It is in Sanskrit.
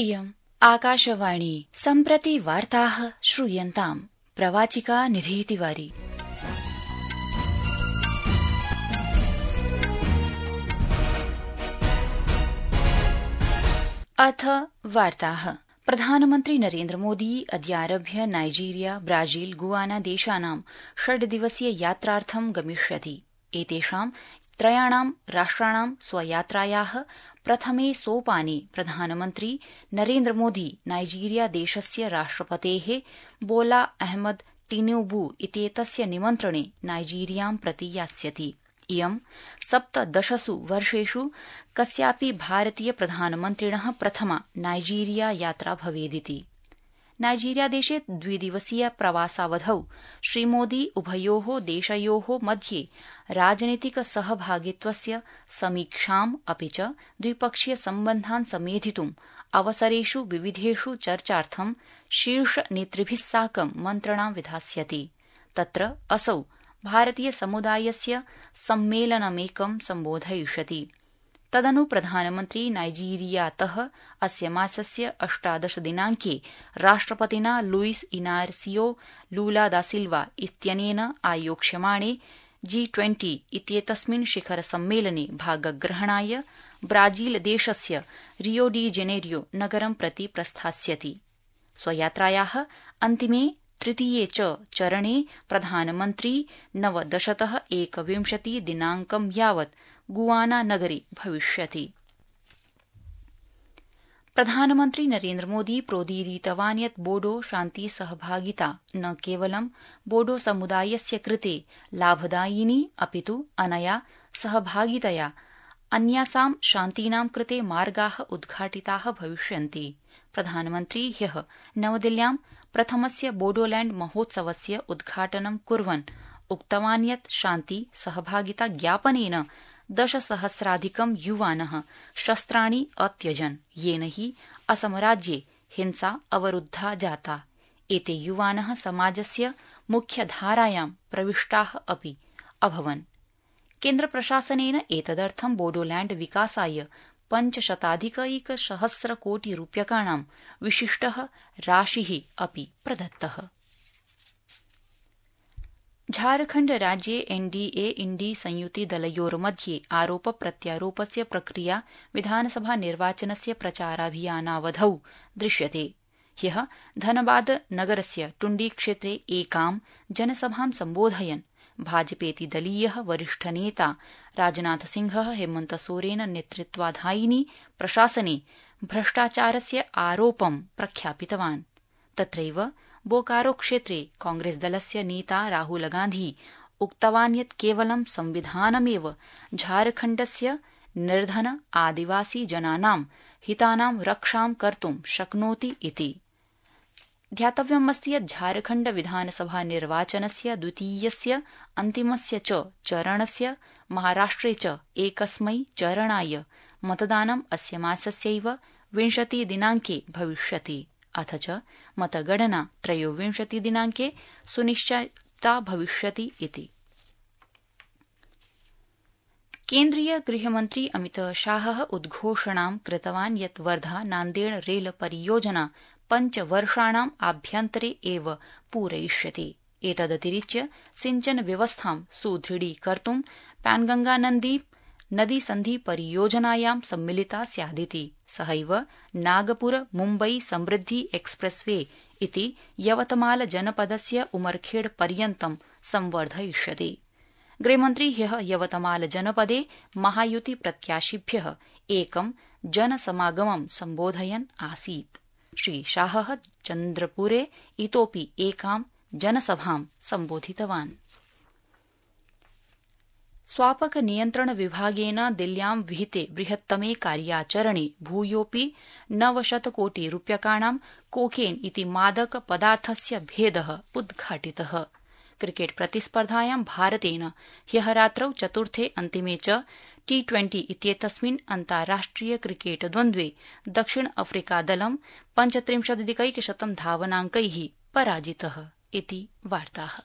इयम् आकाशवाणी सम्प्रति वार्ताः श्रूयन्ताम् प्रवाचिका निधि तिवारी। अथ वार्ताः। प्रधानमन्त्री नरेन्द्र मोदी अद्यारभ्य नाइजीरिया, ब्राजील, गुआना देशानां 6 दिवसीय यात्रार्थं गमिष्यति। एतेषां त्रयाणां राष्ट्राणां स्वयात्रायाः प्रथमे सोपाने प्रधानमन्त्री नरेन्द्र मोदी नाइजीरिया देशस्य राष्ट्रपतेः बोला अहमद टिनुबू इत्येतस्य निमन्त्रणे नाइजीरियां प्रति यास्यति। इयं 17 वर्षेषु कस्यापि भारतीय प्रधानमन्त्रिणः प्रथमा नाइजीरिया यात्रा भवेदिति। नाइजीरिया देशे 2 दिवसीय प्रवासावधौ श्रीमोदी उभयोः देशयोः मध्ये राजनीतिक सहभागित्वस्य समीक्षाम् अपि च द्विपक्षीय सम्बन्धान् समेधितुम् अवसरेषु विविधेषु चर्चार्थं शीर्ष नेतृभिः साकं मन्त्रणां विधास्यति। तत्र असौ भारतीय समुदायस्य सम्मेलनमेकं सम्बोधयिष्यति। तदनु प्रधानमन्त्री नाइजीरियातः अस्य मासस्य 18 दिनाङ्के राष्ट्रपतिना लुइस इनार्सियो लूला दा सिल्वा इत्यनेन आयोक्ष्यमाणे G20 इत्येतस्मिन् शिखर सम्मेलने भागग्रहणाय ब्राजील देशस्य रियो डी जेनेरियो नगरं प्रति प्रस्थास्यति। स्वयात्रायाः अन्तिमे तृतीये च चरणे प्रधानमन्त्री 9तः 21 दिनाङ्कं यावत् गुआना नगरे भविष्यति। प्रधानमन्त्री नरेन्द्र मोदी प्रोदीरितवान् यत् बोडो शान्ति सहभागिता न केवलं बोडो समुदायस्य कृते लाभदायिनी अपितु अनया सहभागितया अन्यासां शान्तीनां कृते मार्गाः उद्घाटिताः भविष्यन्ति। प्रधानमन्त्री ह्यः नवदिल्ल्यां प्रथमस्य बोडोलैण्ड महोत्सवस्य उद्घाटनं कुर्वन् उक्तवान् यत् शान्ति सहभागिता ज्ञापनेन 10,000+ युवानः शस्त्राणि अत्यजन्, येन हि असमराज्ये हिंसा अवरुद्धा जाता। एते युवानः समाजस्य मुख्यधारायां प्रविष्टाः अपि अभवन्। केन्द्रप्रशासनेन एतदर्थं बोडोलैण्ड विकासाय 500,000 कोटि रूप्यकाणां विशिष्टः राशिः अपि प्रदत्तः। झारखण्ड राज्ये एनडीए इंडी संयुति दलयोर्मध्ये आरोप प्रत्यारोपस्य प्रक्रिया विधानसभा निर्वाचनस्य प्रचाराभियानावधौ दृश्यते। ह्यः धनबाद नगरस्य टुण्डी क्षेत्रे एकां जनसभां सम्बोधयन् भाजपेति दलीयः वरिष्ठनेता राजनाथसिंहः हेमन्तसोरेन नेतृत्वाधायिनी प्रशासने भ्रष्टाचारस्य आरोपं प्रख्यापितवान्। तत्रैव बोकारो क्षेत्रे कांग्रेसदलस्य नेता राहुल गान्धी उक्तवान् यत् केवलं संविधानमेव झारखण्डस्य निर्धन आदिवासी जनानां हितानां रक्षां कर्तुं शक्नोति इति। ध्यातव्यमस्ति यत् झारखण्ड विधानसभा निर्वाचनस्य द्वितीयस्य अन्तिमस्य च चरणस्य महाराष्ट्रे च एकस्मै चरणाय मतदानं अस्य मासस्यैव 20 दिनाङ्के भविष्यति। अथ च मतगणना 23 दिनाङ्के सुनिश्चिता भविष्यति इति। केन्द्रीय गृहमन्त्री अमितशाहः उद्घोषणां कृतवान् यत् वर्धा नान्देड़ रेल परियोजना 5 वर्षाणाम् आभ्यन्तरे एव पूरयिष्यते। एतदतिरिच्य सिंचन व्यवस्थां सुदृढीकर्तुं पैनगंगा नदी सन्धि परियोजनायां सम्मिलिता स्यादिति। सहैव नागपुर मुम्बई समृद्धि एक्सप्रेसवे इति यवतमाल जनपदस्य उमरखेड पर्यन्तं संवर्धयिष्यते। गृहमन्त्री ह्यः यवतमाल जनपदे महायुति प्रत्याशिभ्यः एकं जनसमागमं सम्बोधयन् आसीत्। श्री शाहः चन्द्रपुरे इतोपि एकां जनसभां सम्बोधितवान्। स्वापक नियन्त्रण विभागेन दिल्ल्यां विहिते बृहत्तमे कार्याचरणे भूयोऽपि 900 कोटि रूप्यकाणां कोकेन इति मादक पदार्थस्य भेदः उद्घाटितः। क्रिकेट प्रतिस्पर्धायां भारतेन ह्यः रात्रौ चतुर्थे अन्तिमे च T20 इत्येतस्मिन् अन्ताराष्ट्रिय क्रिकेट द्वन्द्वे दक्षिण अफ्रीकादलं 35,100 धावनाङ्कैः पराजितः इति वार्ताः।